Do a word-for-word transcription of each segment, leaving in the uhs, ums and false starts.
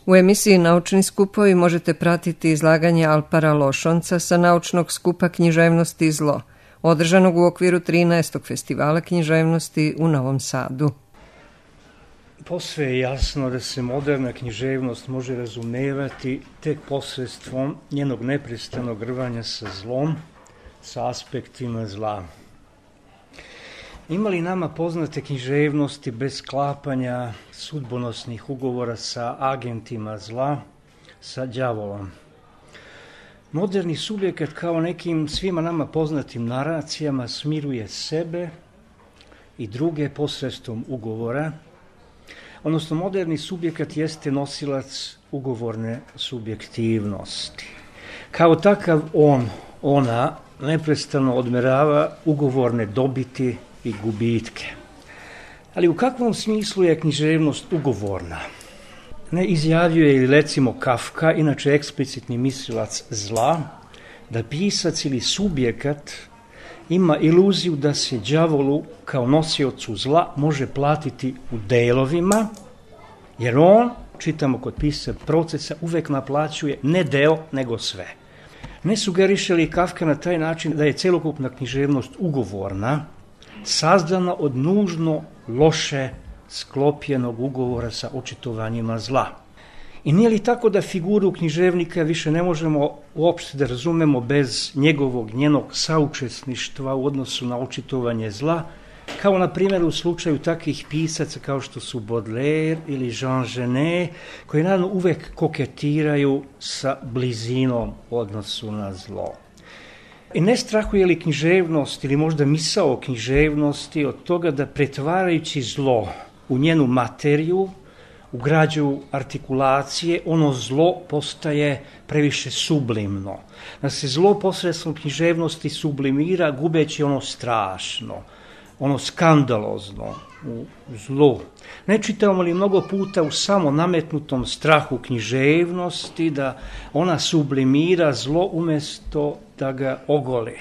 U emisiji Naučni skupovi možete pratiti izlaganje Alpara Lošonca sa naučnog skupa Književnosti i zlo, održanog u okviru trinaestog festivala književnosti u Novom Sadu. Posve je jasno da se moderna književnost može razumevati tek posredstvom njenog neprestanog rvanja sa zlom, sa aspektima zla. Ima li nama poznate književnosti bez sklapanja sudbonosnih ugovora sa agentima zla, sa đavolom? Moderni subjekat kao nekim svima nama poznatim naracijama smiruje sebe i druge posredstvom ugovora, odnosno moderni subjekat jeste nosilac ugovorne subjektivnosti. Kao takav on, ona neprestano odmerava ugovorne dobiti i gubitke. Ali u kakvom smislu je književnost ugovorna? Ne izjavljuje li recimo Kafka, inače eksplicitni mislilac zla, da pisac ili subjekat ima iluziju da se đavolu kao nosiocu zla može platiti u delovima, jer on, čitamo kod pisca procesa, uvek naplaćuje ne deo, nego sve. Ne sugeriše li Kafka na taj način da je celokupna književnost ugovorna, sazdana od nužno loše sklopljenog ugovora sa očitovanjima zla? I nije li tako da figuru književnika više ne možemo uopšte da razumemo bez njegovog, njenog saučesništva u odnosu na očitovanje zla, kao na primjer u slučaju takvih pisaca kao što su Baudelaire ili Jean Genet, koji naravno uvek koketiraju sa blizinom u odnosu na zlo. I ne strahuje li književnost ili možda misao o književnosti od toga da pretvarajući zlo u njenu materiju, u građu artikulacije, ono zlo postaje previše sublimno. Da se zlo posredstvom književnosti sublimira gubeći ono strašno, ono skandalozno u zlu. Ne čitamo li mnogo puta u samo nametnutom strahu književnosti da ona sublimira zlo umjesto da ga ogole?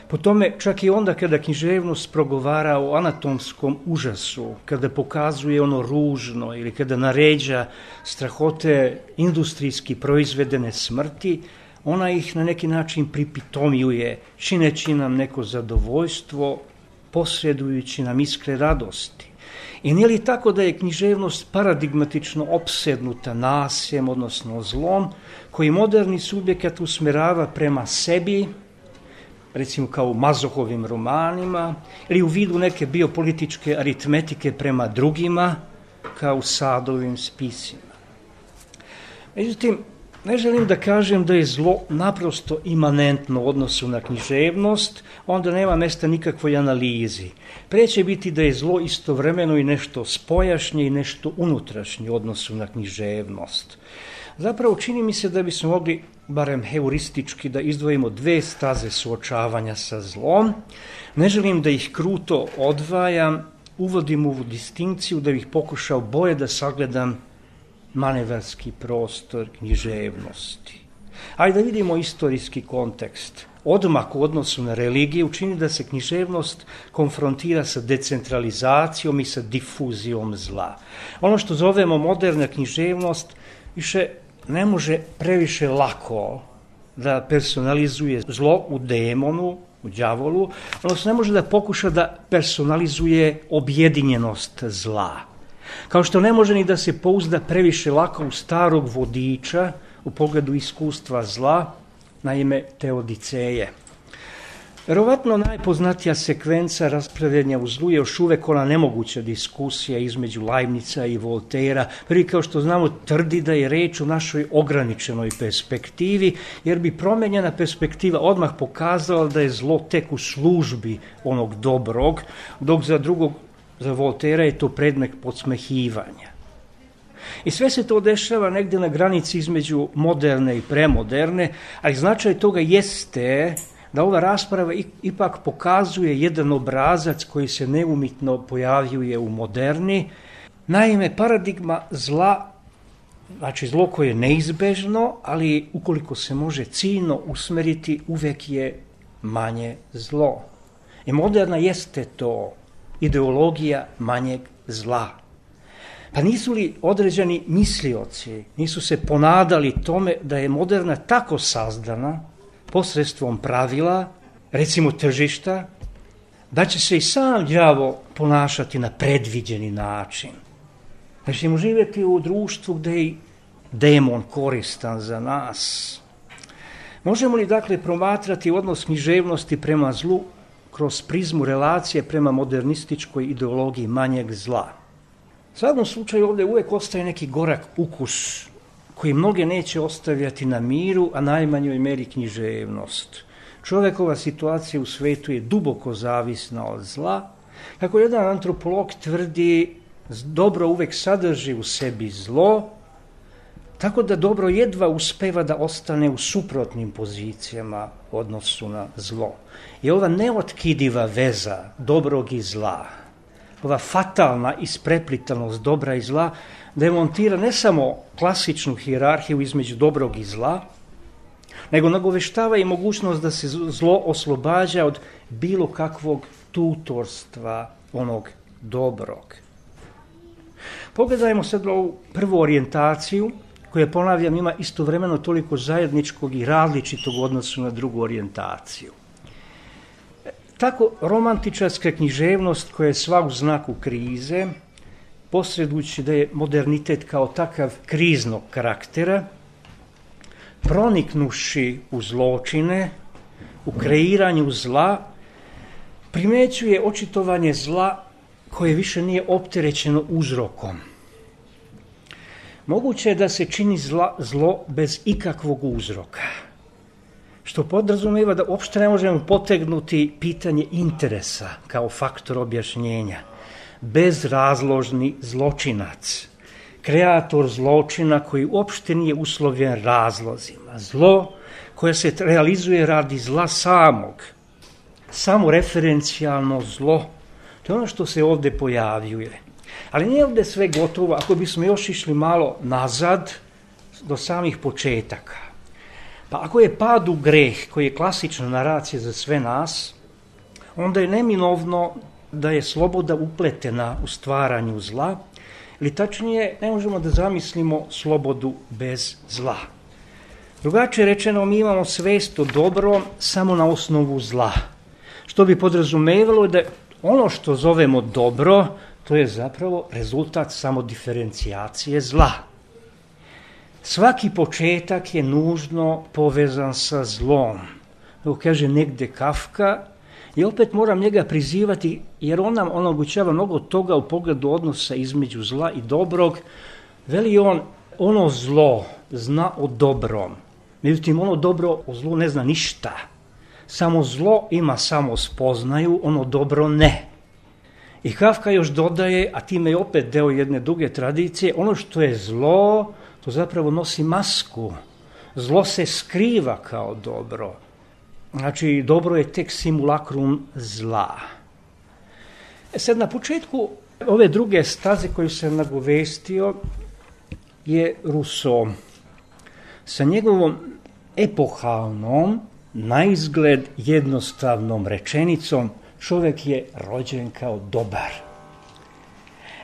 Po tome, čak i onda kada književnost progovara o anatomskom užasu, kada pokazuje ono ružno ili kada naređa strahote industrijski proizvedene smrti, ona ih na neki način pripitomljuje, čineći nam neko zadovoljstvo, posredujući nam iskre radosti. I nije li tako da je književnost paradigmatično opsednuta nasiljem, odnosno zlom, koji moderni subjekat usmerava prema sebi, recimo kao u Mazohovim romanima, ili u vidu neke biopolitičke aritmetike prema drugima, kao u Sadovim spisima. Međutim, ne želim da kažem da je zlo naprosto imanentno u odnosu na književnost, onda nema mesta nikakvoj analizi. Pre će biti da je zlo istovremeno i nešto spojašnje i nešto unutrašnje u odnosu na književnost. Zapravo čini mi se da bismo mogli, barem heuristički, da izdvojimo dve staze suočavanja sa zlom. Ne želim da ih kruto odvajam, uvodim ovu distinkciju da bih pokušao bolje da sagledam manevarski prostor književnosti. Ajde da vidimo istorijski kontekst. Odmak u odnosu na religiju čini da se književnost konfrontira sa decentralizacijom i sa difuzijom zla. Ono što zovemo moderna književnost više ne može previše lako da personalizuje zlo u demonu, u đavolu, odnosno ne može da pokuša da personalizuje objedinjenost zla. Kao što ne može ni da se pouzda previše lako u starog vodiča u pogledu iskustva zla, naime Teodiceje. Verovatno najpoznatija sekvenca raspravljanja u zlu je još uvek ona nemoguća diskusija između Leibnica i Voltera. Prvi, kao što znamo, tvrdi da je reč o našoj ograničenoj perspektivi, jer bi promenjena perspektiva odmah pokazala da je zlo tek u službi onog dobrog, dok za drugog, za Voltera je to predmet podsmehivanja. I sve se to dešava negde na granici između moderne i premoderne, ali značaj toga jeste da ova rasprava ipak pokazuje jedan obrazac koji se neumitno pojavljuje u moderni. Naime, paradigma zla, znači zlo koje je neizbežno, ali ukoliko se može ciljno usmeriti, uvek je manje zlo. I moderna jeste to ideologija manjeg zla. Pa nisu li određeni mislioci, nisu se ponadali tome da je moderna tako sazdana posredstvom pravila, recimo tržišta, da će se i sam đavo ponašati na predviđeni način. Da ćemo živjeti u društvu gdje je demon koristan za nas. Možemo li dakle promatrati odnos književnosti prema zlu kroz prizmu relacije prema modernističkoj ideologiji manjeg zla? U svakom slučaju ovdje uvijek ostaje neki gorak ukus koji mnoge neće ostavljati na miru, a najmanjoj meri književnost. Čovjekova situacija u svijetu je duboko zavisna od zla. Kako jedan antropolog tvrdi, dobro uvijek sadrži u sebi zlo, tako da dobro jedva uspeva da ostane u suprotnim pozicijama u odnosu na zlo. I ova neotkidiva veza dobrog i zla, ova fatalna ispreplitanost dobra i zla, demontira ne samo klasičnu hijerarhiju između dobrog i zla, nego nagoveštava i mogućnost da se zlo oslobađa od bilo kakvog tutorstva onog dobrog. Pogledajmo sad ovu prvu orijentaciju, koja, ponavljam, ima istovremeno toliko zajedničkog i različitog odnosu na drugu orijentaciju. Tako romantičarska književnost koja je sva u znaku krize, posredujući da je modernitet kao takav kriznog karaktera, proniknuši u zločine, u kreiranju zla, primećuje očitovanje zla koje više nije opterećeno uzrokom. Moguće je da se čini zla, zlo bez ikakvog uzroka, što podrazumijeva da uopšte ne možemo potegnuti pitanje interesa kao faktor objašnjenja. Bezrazložni zločinac, kreator zločina koji uopšte nije uslovljen razlozima. Zlo koje se realizuje radi zla samog, samo referencijalno zlo, to je ono što se ovdje pojavljuje. Ali nije ovdje sve gotovo, ako bismo još išli malo nazad do samih početaka. Pa ako je pad u greh, koji je klasična naracija za sve nas, onda je neminovno da je sloboda upletena u stvaranju zla, ili tačnije ne možemo da zamislimo slobodu bez zla. Drugačije rečeno, mi imamo svest o dobrom samo na osnovu zla, što bi podrazumevalo da ono što zovemo dobro, to je zapravo rezultat samo diferencijacije zla. Svaki početak je nužno povezan sa zlom. Evo kaže negde Kafka, i opet moram njega prizivati jer on nam omogućava mnogo toga u pogledu odnosa između zla i dobrog. Veli on, ono zlo zna o dobrom, međutim ono dobro o zlu ne zna ništa. Samo zlo ima samo spoznaju, ono dobro ne. I Kafka još dodaje, a time je opet deo jedne duge tradicije, ono što je zlo, to zapravo nosi masku. Zlo se skriva kao dobro. Znači, dobro je tek simulakrum zla. E sad, na početku ove druge staze koju sam nagovestio je Rousseau. Sa njegovom epohalnom, naizgled jednostavnom rečenicom, čovjek je rođen kao dobar.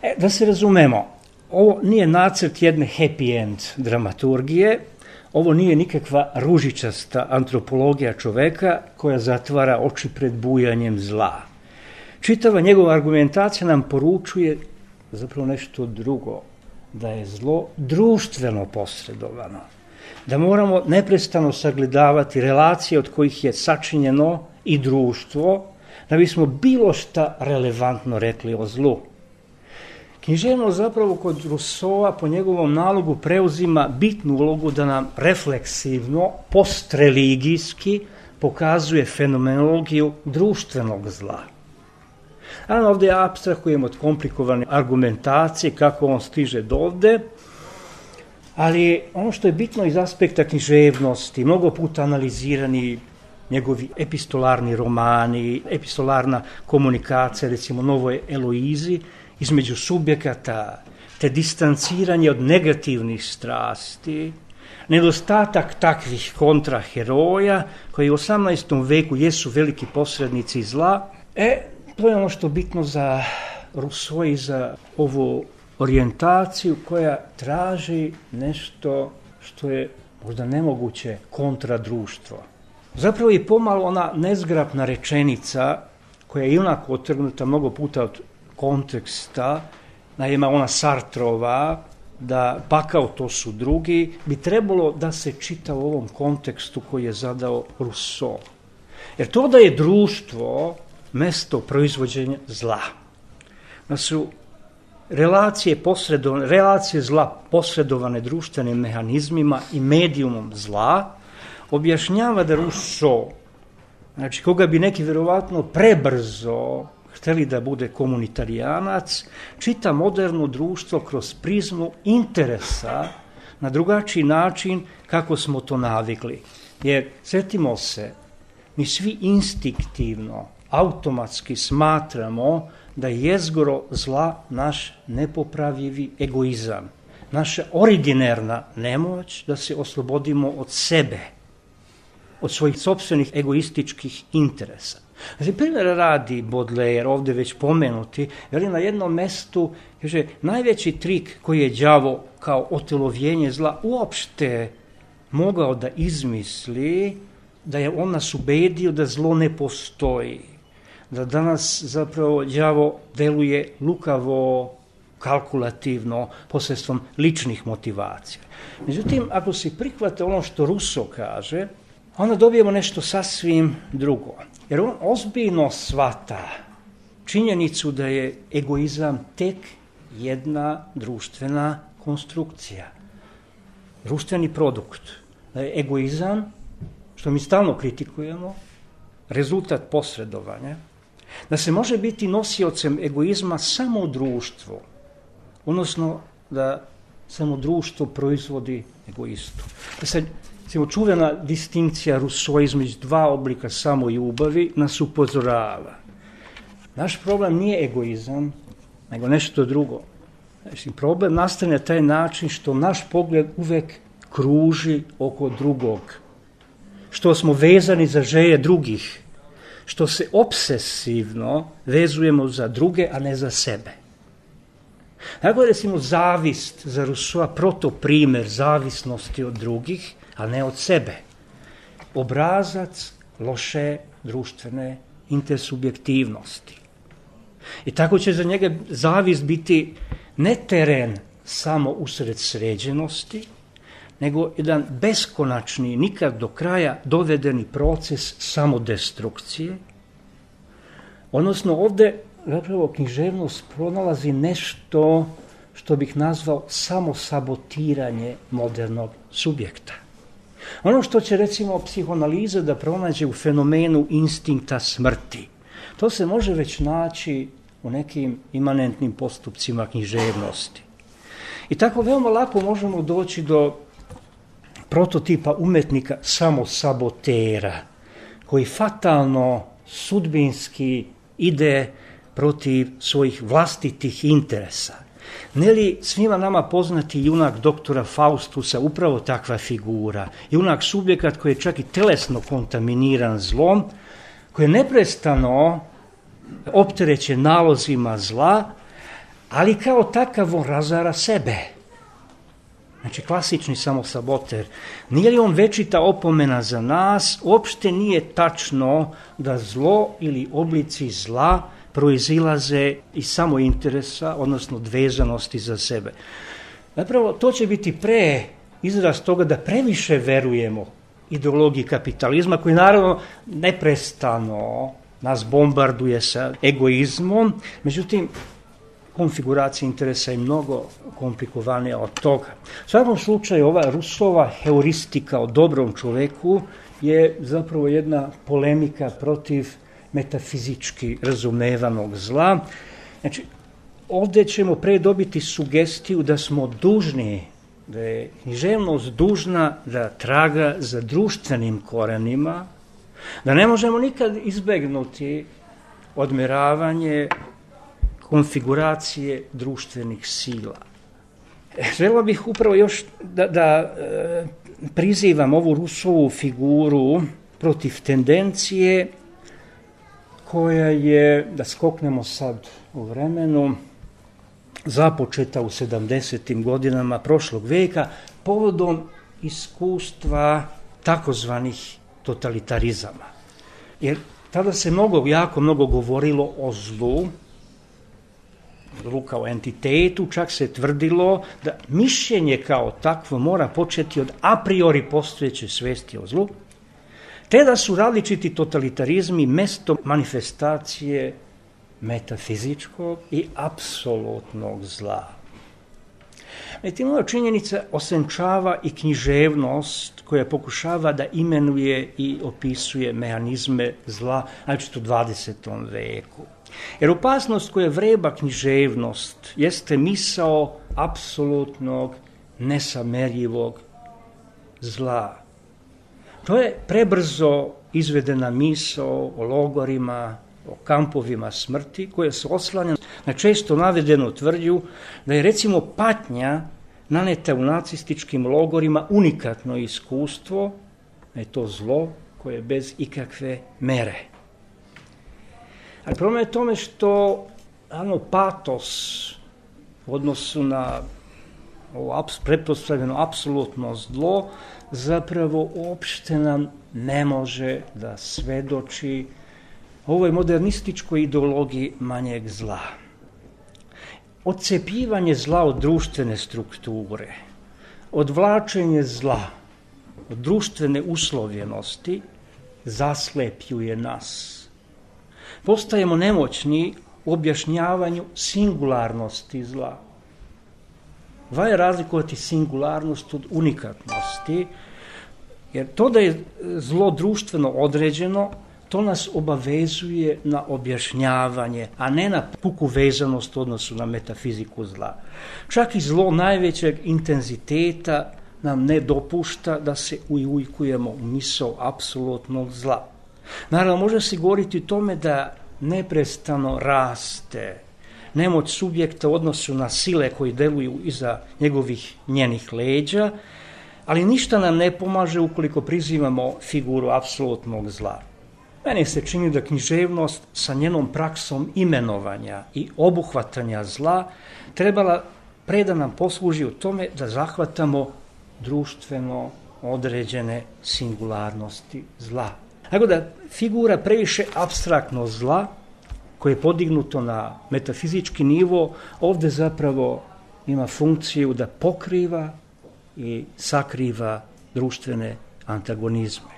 E, da se razumemo, ovo nije nacrt jedne happy end dramaturgije, ovo nije nikakva ružičasta antropologija čoveka koja zatvara oči pred bujanjem zla. Čitava njegova argumentacija nam poručuje zapravo nešto drugo, da je zlo društveno posredovano, da moramo neprestano sagledavati relacije od kojih je sačinjeno i društvo, da bismo bilo šta relevantno rekli o zlu. Književnost zapravo kod Rousseaua po njegovom nalogu preuzima bitnu ulogu da nam refleksivno, postreligijski pokazuje fenomenologiju društvenog zla. Naravno, ovdje apstrahujemo od komplikovane argumentacije kako on stiže do ovde, ali ono što je bitno iz aspekta književnosti, mnogo puta analizirani njegovi epistolarni romani, epistolarna komunikacija, recimo Novoj Eloizi, između subjekata, te distanciranje od negativnih strasti, nedostatak takvih kontraheroja, koji u osamnaestom veku jesu veliki posrednici zla, e, to je ono što je bitno za Rousseau i za ovu orijentaciju koja traži nešto što je možda nemoguće kontra društvo. Zapravo je pomalo ona nezgrapna rečenica koja je onako otrgnuta mnogo puta od konteksta, naime ona Sartrova, da pakao to su drugi, bi trebalo da se čita u ovom kontekstu koji je zadao Rousseau. Jer to da je društvo mesto proizvođenja zla, da su relacije, posredovane, relacije zla posredovane društvenim mehanizmima i medijumom zla, objašnjava da Rousseau, znači koga bi neki vjerovatno prebrzo hteli da bude komunitarijanac, čita moderno društvo kroz prizmu interesa na drugačiji način kako smo to navikli. Jer, sjetimo se, mi svi instinktivno, automatski smatramo da je jezgro zla naš nepopravljivi egoizam, naša originarna nemoć da se oslobodimo od sebe, od svojih sopstvenih egoističkih interesa. Znači, primjer radi Baudelaire, ovdje već pomenuti, veli na jednom mestu, kaže, najveći trik koji je đavo kao otelovljenje zla uopšte mogao da izmisli, da je on nas ubedio da zlo ne postoji, da danas zapravo đavo deluje lukavo, kalkulativno, posredstvom ličnih motivacija. Međutim, ako se prihvate ono što Rousseau kaže, onda dobijemo nešto sasvim drugo. Jer on ozbiljno shvata činjenicu da je egoizam tek jedna društvena konstrukcija, društveni produkt. Da je egoizam, što mi stalno kritikujemo, rezultat posredovanja, da se može biti nosiocem egoizma samo u društvu, odnosno da samo društvo proizvodi egoistu. Da se Recimo, čuvena distinkcija Rousseau između dva oblika samoljubavi nas upozorava. Naš problem nije egoizam, nego nešto drugo. Znači, problem nastane na taj način što naš pogled uvek kruži oko drugog, što smo vezani za želje drugih, što se obsesivno vezujemo za druge, a ne za sebe. Tako je, recimo, zavist za Rousseau protoprimer zavisnosti od drugih, a ne od sebe. Obrazac loše društvene intersubjektivnosti. I tako će za njega zavist biti ne teren samo usred sređenosti, nego jedan beskonačni, nikad do kraja dovedeni proces samodestrukcije. Odnosno, ovdje zapravo književnost pronalazi nešto što bih nazvao samosabotiranje modernog subjekta. Ono što će, recimo, psihoanaliza da pronađe u fenomenu instinkta smrti, to se može već naći u nekim imanentnim postupcima književnosti. I tako veoma lako možemo doći do prototipa umetnika samosabotera, koji fatalno, sudbinski ide protiv svojih vlastitih interesa. Ne li svima nama poznati junak doktora Faustusa upravo takva figura, junak subjekat koji je čak i telesno kontaminiran zlom, koji je neprestano opterećen nalozima zla, ali kao takav on razara sebe. Znači, klasični samosaboter. Nije li on večita opomena za nas? Uopšte nije tačno da zlo ili oblici zla proizilaze iz samointeresa, odnosno dvezanosti za sebe. Zapravo, to će biti pre izraz toga da previše verujemo ideologiji kapitalizma, koji naravno neprestano nas bombarduje sa egoizmom, međutim, konfiguracija interesa je mnogo komplikovanija od toga. U svakom slučaju, ova Rousseauova heuristika o dobrom čoveku je zapravo jedna polemika protiv metafizički razumevanog zla. Znači, ovdje ćemo pre dobiti sugestiju da smo dužni, da je književnost dužna da traga za društvenim korenima, da ne možemo nikad izbegnuti odmeravanje konfiguracije društvenih sila. Želio bih upravo još da, da e, prizivam ovu Rousseauovu figuru protiv tendencije koja je, da skoknemo sad u vremenu, započeta u sedamdesetim godinama prošlog veka povodom iskustva takozvanih totalitarizama. Jer tada se mnogo, jako mnogo govorilo o zlu, zlu kao entitetu, čak se tvrdilo da mišljenje kao takvo mora početi od a priori postojeće svesti o zlu, te da su različiti totalitarizmi mesto manifestacije metafizičkog i apsolutnog zla. Međutim, ova činjenica osenčava i književnost koja pokušava da imenuje i opisuje mehanizme zla, znači u dvadesetom veku. Jer opasnost koja vreba književnost jeste misao apsolutnog, nesamerljivog zla. To je prebrzo izvedena misao o logorima, o kampovima smrti, koja se oslanja na često navedenu tvrdnju da je recimo patnja naneta u nacističkim logorima unikatno iskustvo, da je to zlo koje je bez ikakve mere. Ali problem je tome što ano, patos u odnosu na ovo pretpostavljeno apsolutno zlo zapravo uopšte nam ne može da svedoči ovoj modernističkoj ideologiji manjeg zla. Odcepivanje zla od društvene strukture, odvlačenje zla od društvene uslovljenosti zaslepljuje nas. Postajemo nemoćni u objašnjavanju singularnosti zla. Valja razlikovati singularnost od unikatnosti, jer to da je zlo društveno određeno, to nas obavezuje na objašnjavanje, a ne na puku vezanost u odnosu na metafiziku zla. Čak i zlo najvećeg intenziteta nam ne dopušta da se ujujkujemo u misao apsolutnog zla. Naravno, može se govoriti o tome da neprestano raste nemoć subjekta u odnosu na sile koji deluju iza njegovih njenih leđa, ali ništa nam ne pomaže ukoliko prizivamo figuru apsolutnog zla. Meni se čini da književnost sa njenom praksom imenovanja i obuhvatanja zla trebala pre da nam posluži u tome da zahvatamo društveno određene singularnosti zla. Tako da figura previše apstraktno zla, koje je podignuto na metafizički nivo, ovde zapravo ima funkciju da pokriva i sakriva društvene antagonizme.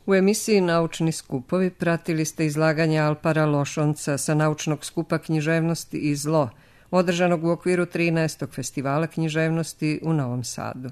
U emisiji Naučni skupovi pratili ste izlaganje Alpara Lošonca sa naučnog skupa književnosti i zlo, održanog u okviru trinaestog festivala književnosti u Novom Sadu.